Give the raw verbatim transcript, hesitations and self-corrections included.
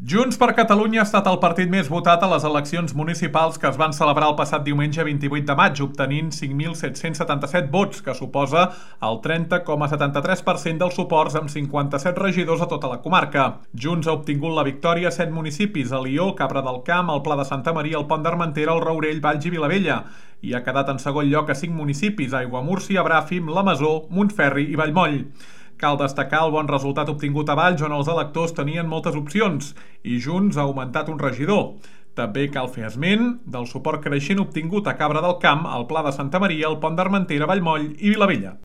Junts per Catalunya ha estat el partit més votat a les eleccions municipals que es van celebrar el passat diumenge vint-i-vuit de maig, obtenint cinc mil set-cents setanta-set vots, que suposa el trenta coma setanta-tres per cent dels suports amb cinquanta-set regidors a tota la comarca. Junts ha obtingut la victòria a set municipis: Alió, Cabra del Camp, el Pla de Santa Maria, el Pont d'Armentera, el Rourell, Valls i Vilavella, i ha quedat en segon lloc a cinc municipis: Aiguamúrcia, Bràfim, La Masó, Montferri i Vallmoll. Cal destacar el bon resultat obtingut a Valls, on els electors tenien moltes opcions, i Junts ha augmentat un regidor. També cal fer esment del suport creixent obtingut a Cabra del Camp, al Pla de Santa Maria, el Pont d'Armentera, Vallmoll i Vilavella.